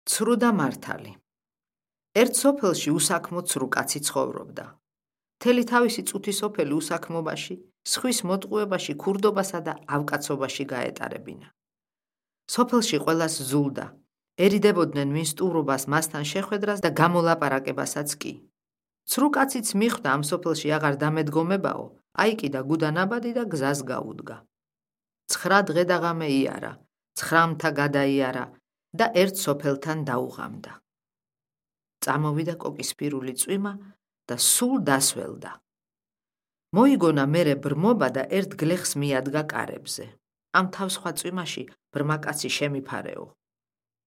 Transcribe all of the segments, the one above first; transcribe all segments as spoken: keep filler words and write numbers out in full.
ცრუ და მართალი. ერთ სოფელში უსაქმო ცრუ კაცი ცხოვრობდა. მთელი თავისი წუთი სოფელი უსაქმობაში, სხვის მოტყუებაში, ქურდობასა და ავკაცობაში გაეტარებინა. სოფელში ყველას ზულდა, ერიდებოდნენ ვინ სტუმრობას მასთან შეხვედრას და გამოლაპარაკებასაც კი. ცრუ კაციც მიხვდა ამ სოფელში აღარ დამედგომებაო, აიკიდა გუდანაბადი და გზას გაუდგა. ცხრა დღე და ღამე იარა, ცხრამთა გადაიარა და ერთ სოფელთან დაუღამდა. წამოვიდა კოკისფირული წვიმა და სულ დასველდა. მოიგონა მერე ბრმობა და ერთ გლეხს მიადგა კარებზე. ამ თავსხვა წვიმაში ბრმაკაცი შემიფარეო.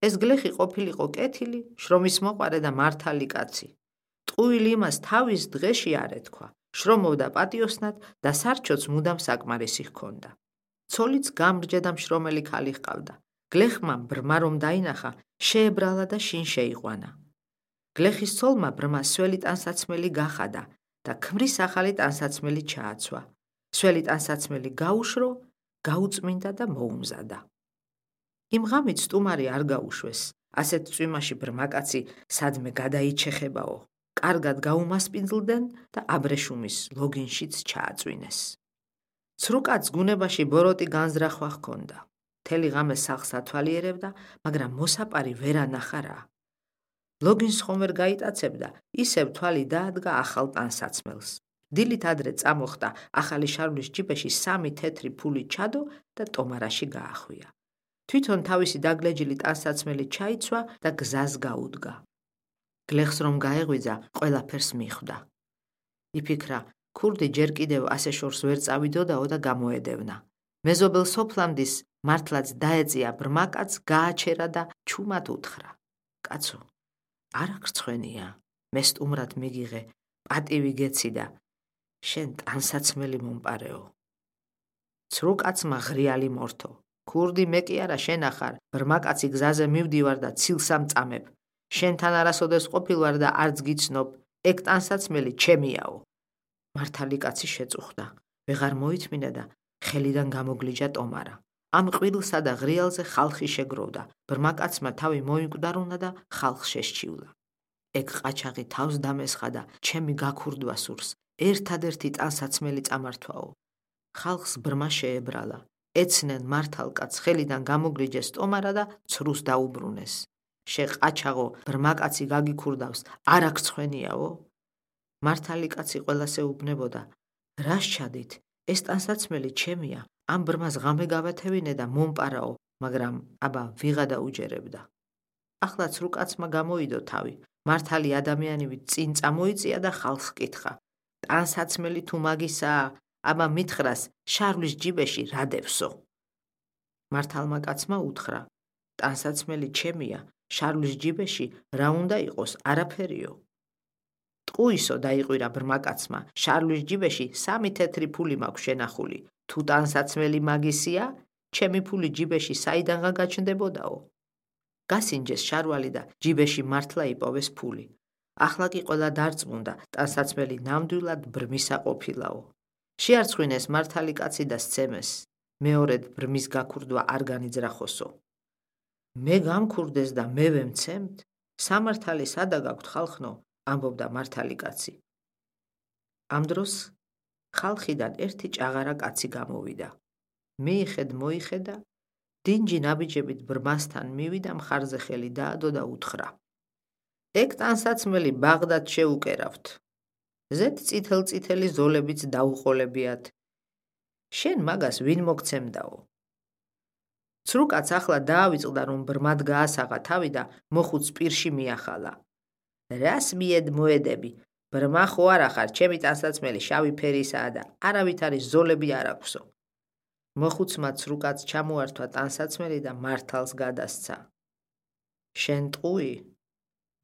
ეს გლეხი ყოფილიყო კეთილი, შრომის მოყარე და მართალი კაცი. ტყუილი იმას თავის დღეში არ ეთქვა, შრომობდა პატიოსნად და სარჩოც მუდამ საკმარისი ჰქონდა. ცოლიც გამრჯე და მშრომელი ქალი ჰყავდა. გლეხმა ბრმა რომ დაინახა, შეებრალა და შინ შეიყვანა. გლეხის ცოლმა ბრმას სველი ტანსაცმელი გახადა და ქმრის ახალი ტანსაცმელი ჩააცვა. სველი ტანსაცმელი გაუშრო, გაუწმინდა და მოუმზადა. იმ ღამით სტუმარი არ გაუშვეს, ასეთ წვიმაში ბრმაკაცი სადმე გადაიჩეხებაო. კარგად გაუმასპინძლდნენ და აბრეშუმის ლოგინშიც ჩააწვინეს. ცრუ კაცს გუნებაში ბოროტი განზრახვა ჰქონდა. მთელი ღამე სახლს ათვალიერებდა, მაგრამ მოსაპარი ვერ ანახა რა. ლოგინს ხომ ვერ გაიტაცებდა, ისევ თვალი დაადგა ახალ ტანსაცმელს. დილით ადრე წამოხდა ახალი შარვლის ჯიბეში სამი თეთრი ფული ჩადო და ტომარაში გაახვია. თვითონ თავისი დაგლეჯილი ტანსაცმელი ჩაიცვა და გზას გაუდგა. გლეხს რომ გაეღვიძა, ყველაფერს მიხვდა. იფიქრა, ქურდი ჯერ კიდევ ასე შორს ვერ წავიდოდაო და გამოედევნა. მეზობელ სოფლამდის მართლაც დაეწია ბრმაკაც, გააჩერა და ჩუმად უთხრა. კაცო, არ აღრცხვენია, მე სტუმრად მიგიღე, პატივი გეცი და შენ ტანსაცმელი მომპარეო. ცრუ კაცმა ღრიალი მორთო. ქურდი მე კი არა შენ ახარ, ბრმაკაცი გზაზე მივდივარ და ცილს ამწამებ. შენთან არასოდეს ყოფილვარ და არც გიცნობ, ეგ ტანსაცმელი ჩემიაო. მართალი კაცი შეწუხდა, ვეღარ მოითმინა და ხელიდან გამოგლიჯა ტომარა. ამ ყვილსა და ღრიალზე ხალხი შეგროვდა, ბრმაკაცმა თავი მოიკვდარუნა და ხალხს შესჩივლა. ეგ ყაჩაღი თავს დამესხა და ჩემი გაქურდვა სურს, ერთადერთი ტანსაცმელი წამართვაო. ხალხს ბრმა შეებრალა, ეცნენ მართალ კაცს ხელიდან გამოგლიჯეს ტომარა და ცრუს დაუბრუნეს. შე ყაჩაღო, ბრმაკაცი გაგიქურდავს, არ აღრცხვენიაო? მართალი კაცი ყველას ეუბნებოდა, რა სჩადით, ეს ტანსაცმელი ჩემია, ამ ბრმას ღამე გავათევინე და მომპარაო, მაგრამ აბა ვიღა დაუჯერებდა. ახლა ცრუ კაცმა გამოიდო თავი, მართალი ადამიანივით წინ წამოიწია და ხალხს კითხა, ტანსაცმელი თუ მაგისაა, აბა მითხრას შარვლის ჯიბეში რა დევსო? მართალმა კაცმა უთხრა, ტანსაცმელი ჩემია, შარვლის ჯიბეში რა უნდა იყოს, არაფერიო. ტყუისო, დაიყვირა ბრმაკაცმა, შარვლის ჯიბეში სამი თეთრი ფული მაქვს შენახული. თუ ტანსაცმელი მაგისია, ჩემი ფული ჯიბეში საიდანღა გაჩნდებოდაო. გასინჯეს შარვალი და ჯიბეში მართლა იპოვეს ფული. ახლა კი ყველა დარწმუნდა, ტანსაცმელი ნამდვილად ბრმისა ყოფილაო. შეარცხვინეს მართალი კაცი და სცემეს. მეორედ ბრმის გაქურდვა არ განიძრახოსო. მე გამქურდეს და მე ვემცემთ, სამართალი სადა გაქვთ ხალხნო, ამბობდა მართალი კაცი. ამ დროს ხალხიდან ერთი ჭაღარა კაცი გამოვიდა. მიიხედ მოიხედა, დინჯი ნაბიჯებით ბრმასთან მივიდა, მხარზე ხელი დაადო და უთხრა. ეგ ტანსაცმელი ბაღდად შეუკერავთ. ზეთ წითელ-წითელი ზოლებიც დაუყოლებიათ. შენ მაგას ვინ მოგცემდაო? ცრუ კაც ახლა დაავიწყდა, რომ ბრმად გაასაღა თავი და მოხუც პირში მიახალა. რას მიედ მოედები? ბრმა ხო არა ხარ, ჩემი ტანსაცმელი შავი ფერისაა და არავითარი ზოლები არ აქვსო. მოხუცმა ცრუ კაც ჩამოართვა ტანსაცმელი და მართალს გადასცა. შენ ტყუი?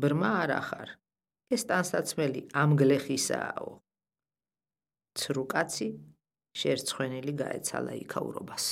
ბრმა არა ხარ, ეს ტანსაცმელი ამ გლეხისააო. ცრუ კაცი შერცხვენილი გაეცალა იქაურობას.